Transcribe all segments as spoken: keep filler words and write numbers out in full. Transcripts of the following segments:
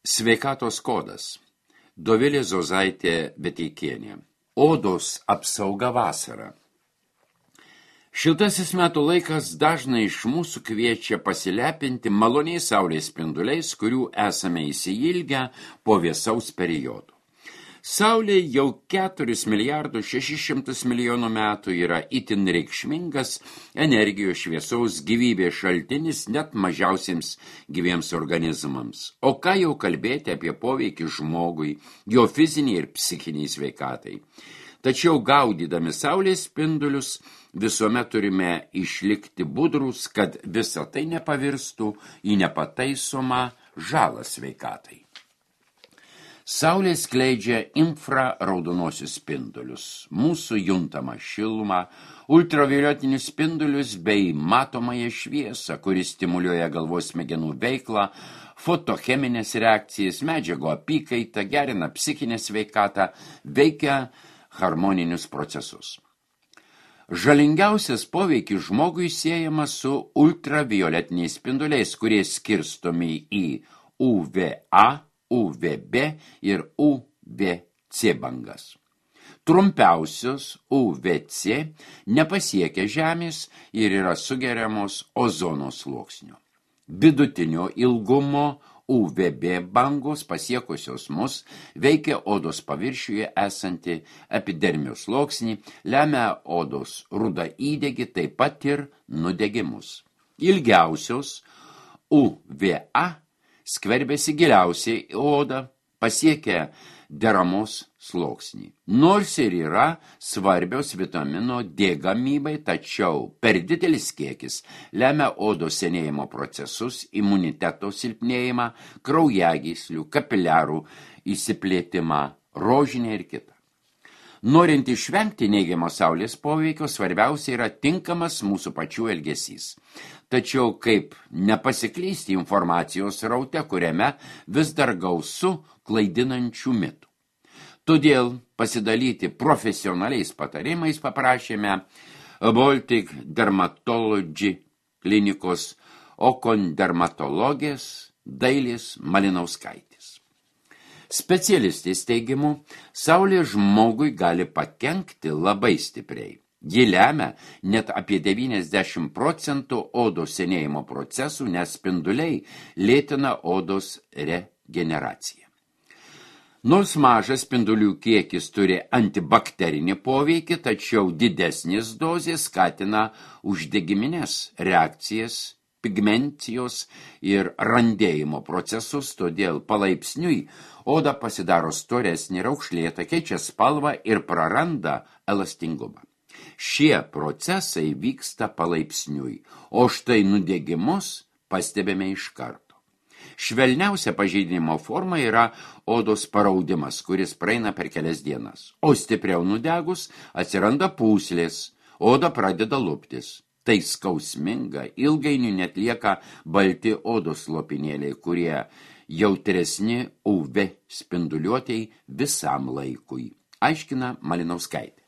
Sveikatos kodas. Dovilė Zozaitė Beteikienė. Odos apsauga vasarą. Šiltasis metų laikas dažnai iš mūsų kviečia pasilepinti maloniais saulės spinduliais, kurių esame įsiilgę po vėsaus periodo. Saulė jau keturis milijardus šešis šimtus milijonų metų yra itin reikšmingas energijos, šviesaus, gyvybės šaltinis net mažiausiems gyviems organizmams. O ką jau kalbėti apie poveikį žmogui, jo fiziniai ir psichiniai sveikatai. Tačiau gaudydami saulės spindulius visuomet turime išlikti budrus, kad visa tai nepavirstų į nepataisomą žalą sveikatai. Saulė skleidžia infraraudonosius spindulius, mūsų juntamą šilumą, ultravioletinius spindulius bei matomąją šviesą, kuris stimuliuoja galvos smegenų veiklą, fotocheminės reakcijas, medžiagų apykaitą, gerina psichinę sveikatą, veikia harmoninius procesus. Žalingiausias poveikis žmogui siejamas su ultravioletiniais spinduliais, kurie skirstomi į U V A, U V B ir U V C bangas. Trumpiausios U V C nepasiekia Žemės ir yra sugeriamos ozono sluoksnio. Vidutinio ilgumo U V B bangos pasiekusios mus veikia odos paviršiuje esantį epidermijos sluoksnį, lemia odos rudą įdegį, taip pat ir nudegimus. Ilgiausios U V A skverbėsi giliausiai į odą, pasiekia deramos sluoksnį. Nors ir yra svarbios vitamino D gamybai, tačiau per didelis kiekis lemia odos senėjimo procesus, imuniteto silpnėjimą, kraujagyslių, kapiliarų įsiplėtimą, rožinę ir kitą. Norint išvengti neigiamo saulės poveikio, svarbiausia yra tinkamas mūsų pačių elgesys. Tačiau kaip nepasiklysti informacijos sraute, kuriame vis dar gausu klaidinančių mitų. Todėl pasidalyti profesionaliais patarimais paprašėme Baltic Dermatology klinikos okondermatologės Dailės Malinauskaitės. Specialistės teigimu, saulė žmogui gali pakenkti labai stipriai. Ji lemia net apie devyniasdešimt procentų odos senėjimo procesų, nes spinduliai lėtina odos regeneraciją. Nors mažas spindulių kiekis turi antibakterinį poveikį, tačiau didesnės dozės skatina uždegiminės reakcijas, pigmencijos ir randėjimo procesus, todėl palaipsniui oda pasidaro storesnė, raukšlėta, keičia spalvą ir praranda elastingumą. Šie procesai vyksta palaipsniui, o štai nudegimus pastebime iš karto. Švelniausia pažeidimo forma yra odos paraudimas, kuris praeina per kelias dienas, o stipriau nudegus atsiranda pūslės, oda pradeda luptis. Tai skausminga, ilgainiui net lieka balti odos lopinėliai, kurie jautresni U V spinduliuotei visam laikui, aiškina Malinauskaitė.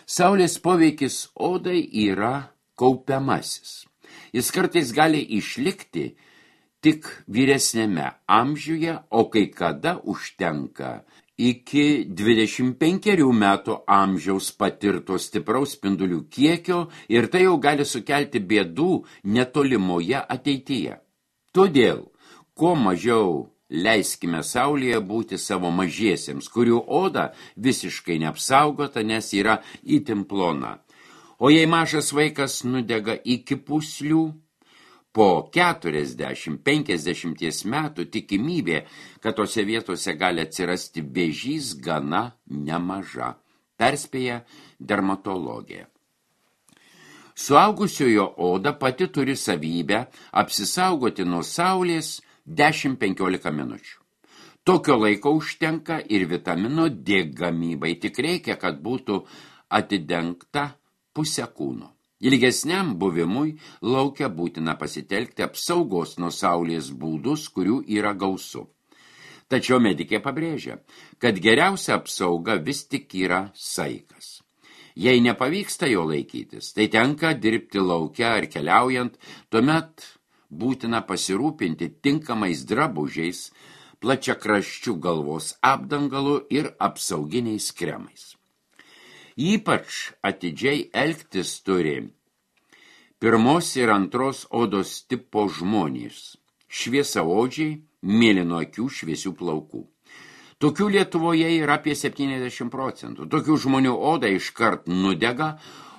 Saulės poveikis odai yra kaupiamasis. Jis kartais gali išlikti tik vyresnėme amžiuje, o kai kada užtenka iki dvidešimt penkerių metų amžiaus patirto stipraus spindulių kiekio ir tai jau gali sukelti bėdų netolimoje ateityje. Todėl, kuo mažiau leiskime saulėje būti savo mažiesiems, kurių oda visiškai neapsaugota, nes yra itin plona. O jei mažas vaikas nudega iki pūslių, po keturiasdešimt penkiasdešimt metų tikimybė, kad tose vietose gali atsirasti vėžys, gana nemaža, perspėja dermatologija. Suaugusiojo oda pati turi savybę apsisaugoti nuo saulės dešimt penkiolika minučių. Tokio laiko užtenka ir vitamino D gamybai, tik reikia, kad būtų atidengta pusė kūno. Ilgesniam buvimui lauke būtina pasitelkti apsaugos nuo saulės būdus, kurių yra gausu. Tačiau medikė pabrėžia, kad geriausia apsauga vis tik yra saikas. Jei nepavyksta jo laikytis, tai tenka dirbti lauke ar keliaujant, tuomet būtina pasirūpinti tinkamais drabužiais, plačiakraščių galvos apdangalu ir apsauginiais kremais. Ypač atidžiai elgtis turi pirmos ir antros odos tipo žmonės, šviesaodžiai, mėlyno akių, šviesių plaukų. Tokių Lietuvoje yra apie septyniasdešimt procentų. Tokių žmonių oda iškart nudega,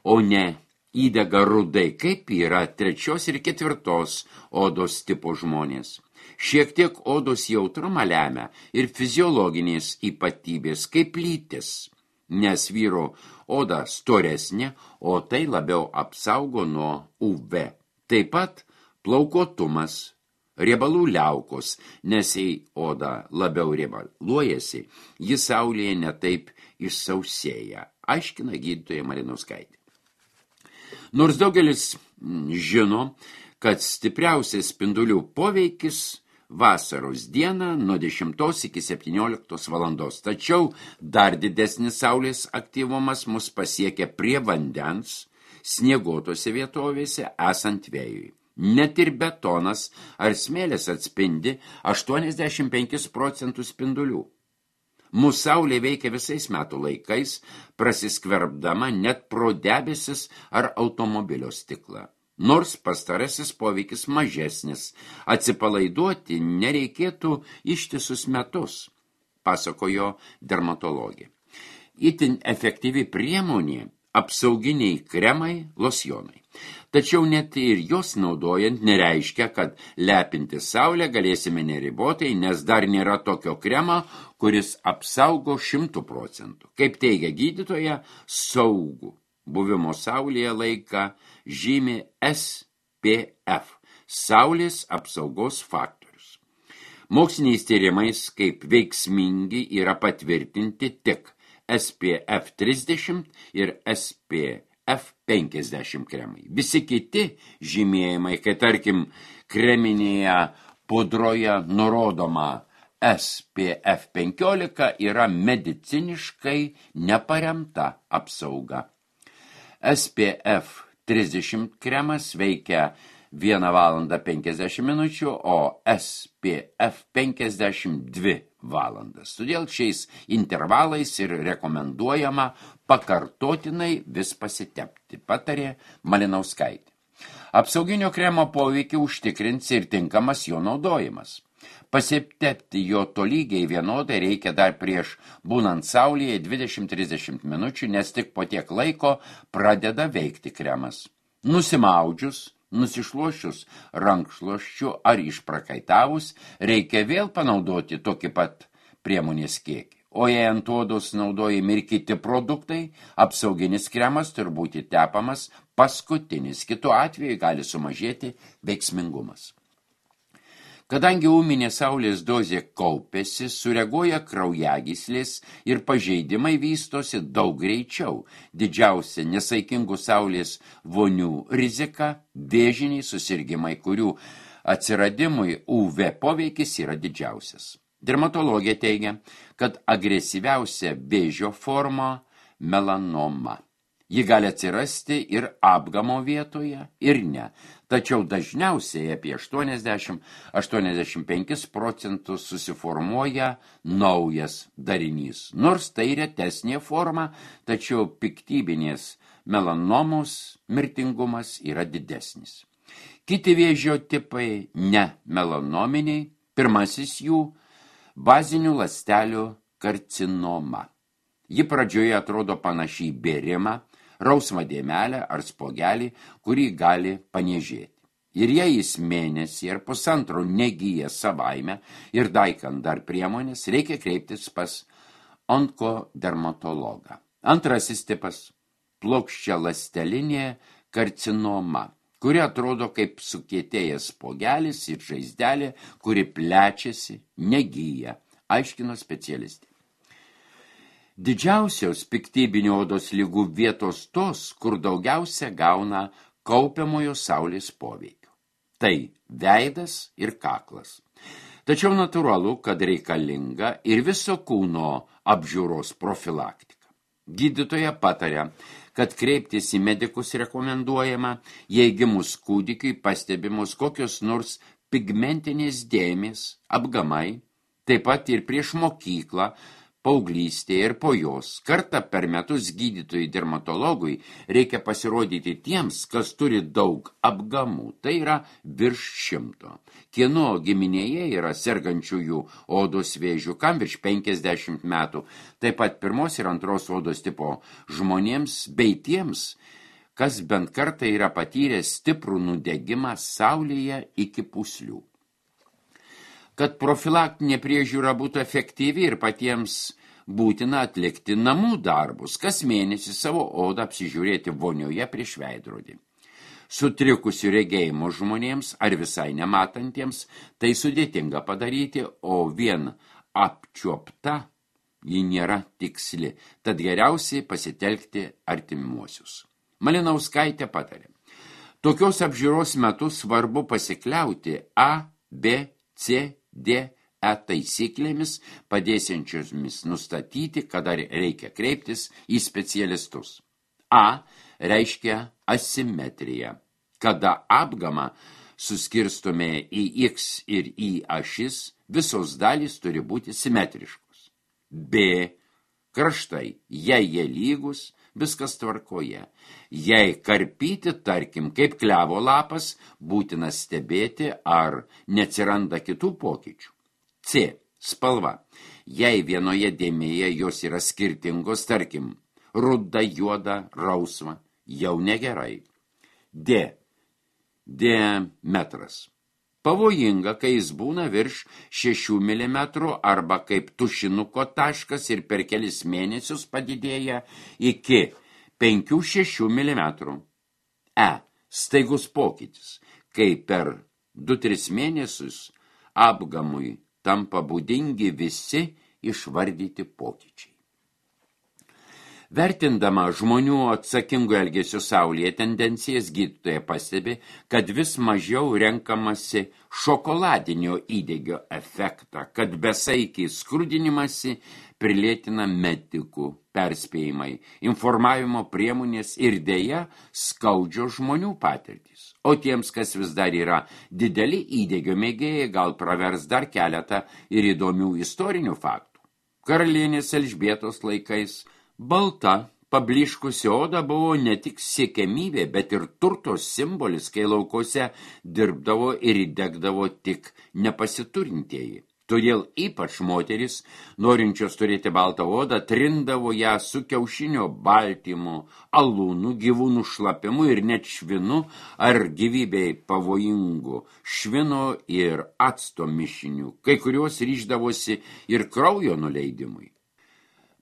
o ne įdega rudai, kaip yra trečios ir ketvirtos odos tipo žmonės. Šiek tiek odos jautrumą lemia ir fiziologinės ypatybės, kaip lytis, nes vyro oda storesnė, o tai labiau apsaugo nuo U V. Taip pat plaukotumas, riebalų liaukos, nes jei oda labiau riebaluojasi, ji saulėje netaip išsausėja, aiškina gydytoja Malinauskaitė. Nors daugelis žino, kad stipriausias spindulių poveikis vasaros dieną nuo dešimtos iki septynioliktos valandos, tačiau dar didesnis saulės aktyvumas mus pasiekia prie vandens, snieguotose vietovėse esant vėjui. Net ir betonas ar smėlis atspindi aštuoniasdešimt penkis procentus spindulių. Mūsų saulė veikia visais metų laikais, prasiskverbdama net pro debesis ar automobilio stiklą. Nors pastarasis poveikis mažesnis, atsipalaiduoti nereikėtų ištisus metus, pasakojo dermatologė. Itin efektyvi priemonė apsauginiai kremai, losjonai. Tačiau net ir jos naudojant nereiškia, kad lepinti saulę galėsime neribotai, nes dar nėra tokio kremo, kuris apsaugo šimtų procentų. Kaip teigia gydytoja, saugų buvimo saulėje laiką žymi S P F, saulės apsaugos faktorius. Moksliniais tyrimais kaip veiksmingi yra patvirtinti tik S P F trisdešimt ir S P F penkiasdešimt kremai. Visi kiti žymėjimai, kai tarkim kreminėje pudroje nurodoma S P F penkiolika, yra mediciniškai neparemta apsauga. S P F trisdešimt kremas veikia vieną valandą penkiasdešimt minučių, o S P F penkiasdešimt dvi valandas. Todėl šiais intervalais ir rekomenduojama pakartotinai vis pasitepti, patarė Malinauskaitė. Apsauginio kremo poveikį užtikrins ir tinkamas jo naudojimas. Pasitepti jo tolygiai vienodai reikia dar prieš būnant saulėje dvidešimt trisdešimt minučių, nes tik po tiek laiko pradeda veikti kremas. Nusimaudžius, nusišluošius rankšluosčiu ar išprakaitavus, reikia vėl panaudoti tokį pat priemonės kiekį. O jei ant odos naudojami ir kiti produktai, apsauginis kremas turi būti tepamas paskutinis, kitu atveju gali sumažėti veiksmingumas. Kadangi ūminė saulės dozė kaupiasi, sureaguoja kraujagyslės ir pažeidimai vystosi daug greičiau. Didžiausia nesaikingų saulės vonių rizika – vėžiniai susirgimai, kurių atsiradimui U V poveikis yra didžiausias. Dermatologė teigia, kad agresyviausia vėžio forma – melanoma. Ji gali atsirasti ir apgamo vietoje, ir ne. Tačiau dažniausiai apie aštuoniasdešimt iki aštuoniasdešimt penkis procentus susiformuoja naujas darinys. Nors tai retesnė forma, tačiau piktybinės melanomos mirtingumas yra didesnis. Kiti vėžio tipai ne melanominiai, pirmasis jų bazinių ląstelių karcinoma. Ji pradžioje atrodo panašiai bėrimą, rausvą dėmelę ar spogelį, kurį gali paniežėti. Ir jei jis mėnesį ar pusantro negyja savaime ir daikant dar priemonės, reikia kreiptis pas onkodermatologą. Antrasis tipas – plokščialąstelinė karcinoma, kuri atrodo kaip sukietėjęs spogelis ir žaizdelė, kuri plečiasi, negyja, aiškino specialistė. Didžiausios piktybinių odos ligų vietos tos, kur daugiausia gauna kaupiamojo saulės poveikio. Tai veidas ir kaklas. Tačiau natūralu, kad reikalinga ir viso kūno apžiūros profilaktika. Gydytoja pataria, kad kreiptis į medikus rekomenduojama, jei gimus kūdikiui pastebimos kokios nors pigmentinės dėmės, apgamai, taip pat ir prieš mokyklą, paauglystėje ir po jos. Kartą per metus gydytojui dermatologui reikia pasirodyti tiems, kas turi daug apgamų, tai yra virš šimto. Kieno giminėje yra sergančiųjų odos vėžių, kam virš penkiasdešimt metų, taip pat pirmos ir antros odos tipo žmonėms, bei tiems, kas bent kartą yra patyrę stiprų nudegimą saulėje iki pūslių. Kad profilaktinė priežiūra būtų efektyvi ir patiems būtina atlikti namų darbus, kas mėnesį savo odą apsižiūrėti vonioje prieš veidrodį. Sutrikusių regėjimo žmonėms ar visai nematantiems tai sudėtinga padaryti, o vien apčiuopta ji nėra tiksli, tad geriausiai pasitelkti artimuosius. Malinauskaitė patarė. Tokios apžiūros metu svarbu pasikliauti A, B, C, D, E taisyklėmis, padėsiančiomis nustatyti, kada reikia kreiptis į specialistus. A reiškia asimetriją, kada apgamą suskirstome į X ir Y ašis, visos dalys turi būti simetriškos. B kraštai, jei jie lygus, viskas tvarkoje. Jei karpyti, tarkim, kaip klevo lapas, būtina stebėti, ar neatsiranda kitų pokyčių. C. Spalva. Jei vienoje dėmėje jos yra skirtingos, tarkim, ruda, juoda, rausva, jau negerai. D. Diametras. Pavojinga, kai jis būna virš šešių milimetrų arba kaip tušinuko taškas ir per kelis mėnesius padidėja iki penkių šešių milimetrų. E. Staigus pokytis, kai per du tris mėnesius apgamui tampa būdingi visi išvardyti pokyčiai. Vertindama žmonių atsakingų elgesio saulėje tendencijas, gydytoja pastebi, kad vis mažiau renkamasi šokoladinio įdegio efektą, kad besaikiai skrudinimasi prilėtina medikų perspėjimai, informavimo priemonės ir deja skaudžio žmonių patirtys. O tiems, kas vis dar yra dideli įdegio mėgėjai, gal pravers dar keletą ir įdomių istorinių faktų. Karalienės Elžbietos laikais balta, pabliškusi oda buvo ne tik siekiamybė, bet ir turto simbolis, kai laukose dirbdavo ir įdegdavo tik nepasiturintieji. Todėl ypač moteris, norinčios turėti baltą odą, trindavo ją su kiaušinio baltymu, alūnu, gyvūnų šlapimu ir net švinu ar gyvybei pavojingu švino ir acto mišiniu, kai kurios ryždavosi ir kraujo nuleidimui.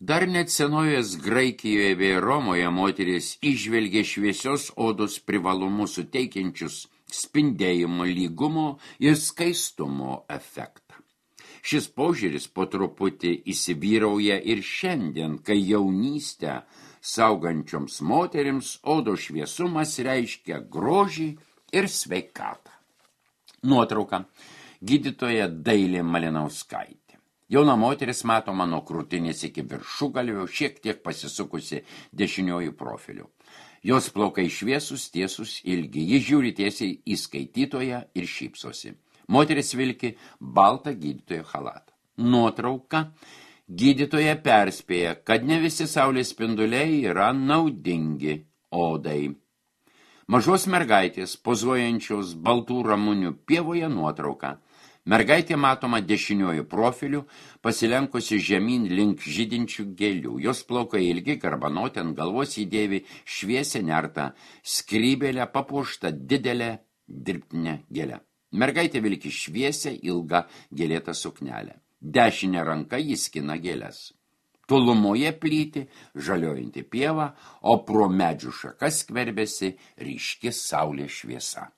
Dar net senovės Graikijoje bei Romoje moteris įžvelgė šviesios odos privalumus suteikiančius spindėjimo, lygumo ir skaistumo efektą. Šis požiūris po truputį įsivyrauja ir šiandien, kai jaunystę saugančioms moterims odos šviesumas reiškia grožį ir sveikatą. Nuotrauka. Gydytoja Dailė Malinauskaitė. Jauna moteris matoma nuo krūtinės iki viršugalvio, šiek tiek pasisukusi dešiniojų profiliu. Jos plaukai šviesus, tiesus, ilgi. Ji žiūri tiesiai į skaitytoją ir šypsosi. Moteris vilki baltą gydytojo chalatą. Nuotrauka. Gydytoja perspėja, kad ne visi saulės spinduliai yra naudingi odai. Mažos mergaitės pozuojančios baltų ramunių pievoje nuotrauka. Mergaitė matoma dešiniojų profilių, pasilenkusi žemyn link žydinčių gėlių. Jos plaukai ilgi, garbanoti, ant galvos įdėvi šviesią nertą, skrybėlę papuoštą didelę dirbtinę gėlę. Mergaitė vilki šviesią ilgą gėlėtą suknelę. Dešinė ranka jis skina gėles. Tolumoje plyti žaliojanti pieva, o pro medžių šakas skverbėsi ryški saulės šviesa.